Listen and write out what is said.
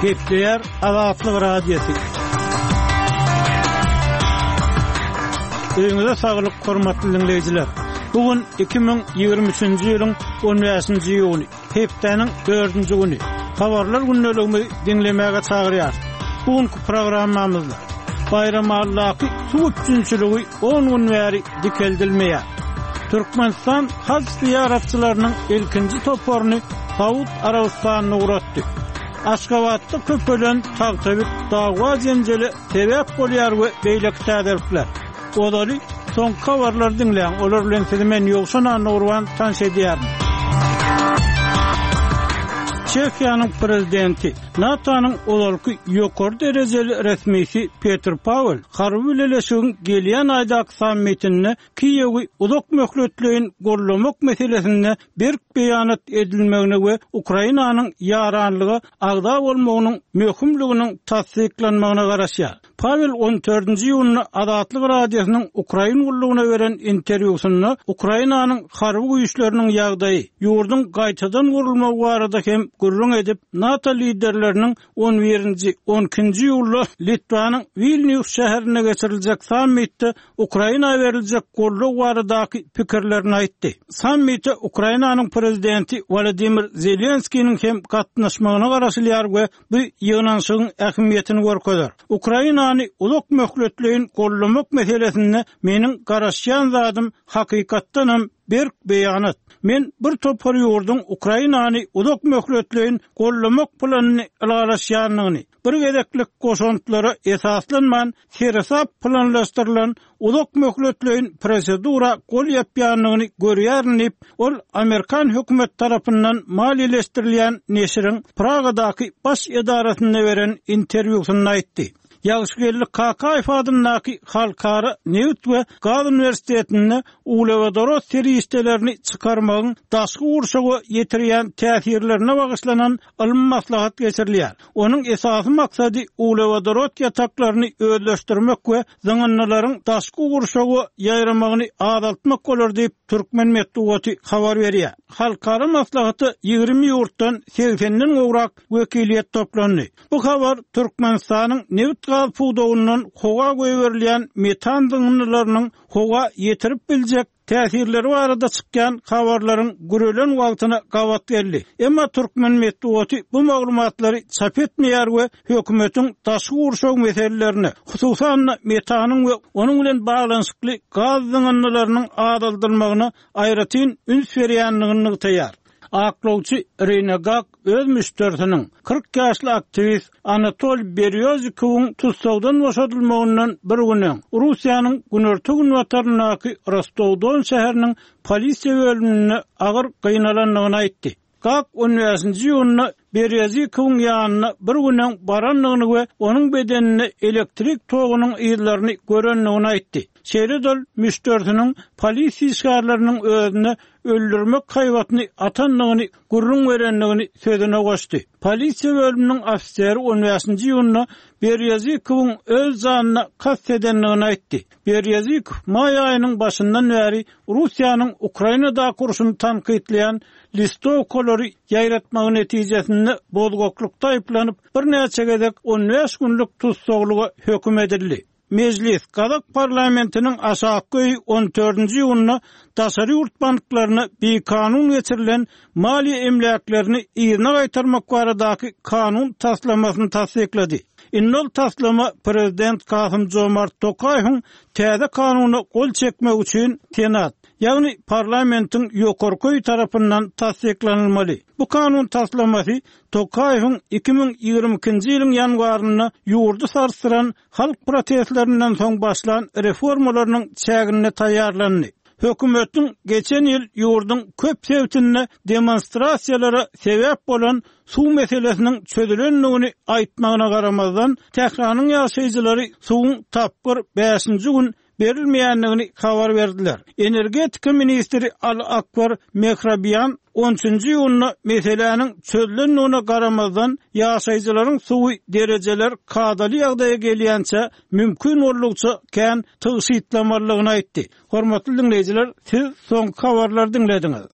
Gepleýär Azatlyk Radiosy. Öýüňize saglyk, hormatly diňleýjiler! Bu gün 2023-nji ýylyň 15-nji iýuny, hepdäniň dördünji güni. Habarlar gündeligimizi diňlemäge çagyrýarys. Bu günki programmamyzda Baýramalydaky suw üpjünçiligi on gün bäri dikeldilmeýär. Türkmenistan haj zyýaratçylarynyň ilkinji toparyny Saud Arabystanyna ugratdy. Aşgabatda köpelen tagtabit dawa-jenjele sebäp bolýar we beýleki täzelikler. Ozaly soňky habarlary diňläň, olar bilen sizi men Ýowşan Annagurban tanyş edýärin. Çehiýanyň prezidenti, NATO-nyň ozalky ýokary derejeli resmisi Petr Pawel harby bileleşigiň gelýän aýdaky sammitinde Kiýewi uzak möhletleýin goldamak meselesinde berk beýanat edilmegine we Ukrainanyň ýaranlyga agza bolmagynyň möhümliginiň tassyklanmagyna garaşýar. Pawel on dördünji iýunda Azatlyk Radiosynyň Ukrain gullugyna beren interwýusynda Ukrainanyň harby güýçleriniň ýagdaýy, ýurduň gaýtadan gurulmagy barada hem gürrüň edip, NATO liderleriniň on birinji, on ikinji iýulda Litwanyň Wilnýus şäherinde geçiriljek sammitde Ukraina beriljek goldaw baradaky pikirlerini aýtdy. Sammite Ukrainanyň prezidenti Wolodymyr Zelenskiniň hem gatnaşmagyna garaşylýar we bu ýygnanyşygyň ähmiýetini görkezer. Ukrainany uzak möhletleýin goldamak meselesinde meniň garaşýan zadym hakykatdanam berk beýanat. Men bir topar ýurduň Ukrainany uzak möhletleýin goldamak planyny ylalaşýandygyny, bir gezeklik goşantlara esaslanman, seresap planlaşdyrylan uzak möhletleýin prosedura gol ýapýandygyny görýärin diýip, ol amerikan hökümeti tarapyndan maliýeleşdirilýän neşiriň Pragadaky baş edarasynda beren interwýusynda aýtdy. Ýagşygeldi Kakaýew adyndaky Halkara nebit we gaz uniwersitetinde uglewodorod serişdelerini çykarmagyň daşky gurşawa ýetirýän täsirlerine bagyşlanan ylmy maslahat geçirilýär. Onuň esasy maksady uglewodorod ýataklaryny özleşdirmek we zyňyndylaryň daşky gurşawa ýaýramagyny azaltmak bolar diýip, türkmen metbugaty habar berýär. Halkara maslahata 20 ýurtdan segsenden gowrak wekiliýet toplandy. Bu habar Türkmenistanyň nebit-gaz pudagyndan howa goýberilýän metan zyňyndylarynyň howa ýetirip biljek täsirleri barada çykýan habarlaryň gürelen wagtyna gabat geldi. Emma türkmen metbugaty bu maglumatlary çap etmeýär we hökümetiň daşky gurşaw meselelerine, hususan-da metanyň we onuň bilen baglanyşykly gaz zyňyndylarynyň azaldylmagyna aýratyn üns berýändigini nygtaýar. Aklawçy Rina Gak öz müşderisiniň, 40 ýaşly aktiwist Anatoliý Berýozikowyň tussagdan boşadylmagyndan bir gün öň, Russiýanyň günorta-günbataryndaky Rostow-Don şäheriniň polisiýa bölüminde agyr gynalandygyny aýtdy. Gak on bäşinji iýunda Berýozikowyň ýanyna bir gün öň barandygyny we onuň bedeninde elektrik togunyň yzlaryny görendigini aýtdy. Şeýle-de ol müşderisiniň polisiýa işgärleriniň özüne öldürmek haýbatyny atandygyny gürrüň berendigini sözüne goşdy. Polisiýa bölüminiň ofiseri on bäşinji iýunda Berýozikowyň öz janyna kast edendigini aýtdy. Berýozikow maý aýynyň başyndan bäri Russiýanyň Ukrainadaky urşuny tankytlaýan listowkalary ýaýratmagy netijesinde bozgaklykda aýyplanyp, birnäçe gezek on bäş günlük tussaglyga höküm edildi. Mejlis, gazak parlamentiniň aşakky öýi on dördünji iýunda daşary ýurt banklaryna bikanun geçirilen maliýe emläklerini yzyna gaýtarmak baradaky kanun taslamasyny tassyklady. Indi ol taslama prezident Kasym-Jomart Tokaýewiň täze kanuna gol çekmegi üçin Senat, ýagny parlamentiň ýokarky öýi tarapyndan tassyklanylmaly. Bu kanun taslamasy Tokaýewiň 2022-nji ýylyň ýanwarynda ýurdy sarsdyran halk protestlerinden soň başlan reformalarynyň çäginde taýýarlandy. Hökümetiň geçen ýyl ýurduň köp sebitinde demonstrasiýalara sebäp bolan suw meselesiniň çözülendigini aýtmagyna garamazdan, Tähranyň ýaşaýjylary suwuň tapgyr bäşinji gün berilmeýändigini habar berdiler. Energetika ministri Al Akbar Mehrabian on üçünji iýunda meseläniň çözülendigine garamazdan, ýaşaýjylaryň suwy derejeler kadaly ýagdaýa gelýänçä mümkin boldugyça kän tygşytlamalydygyny aýtdy. Hormatly diňleýjiler, siz soňky habarlary diňlediňiz.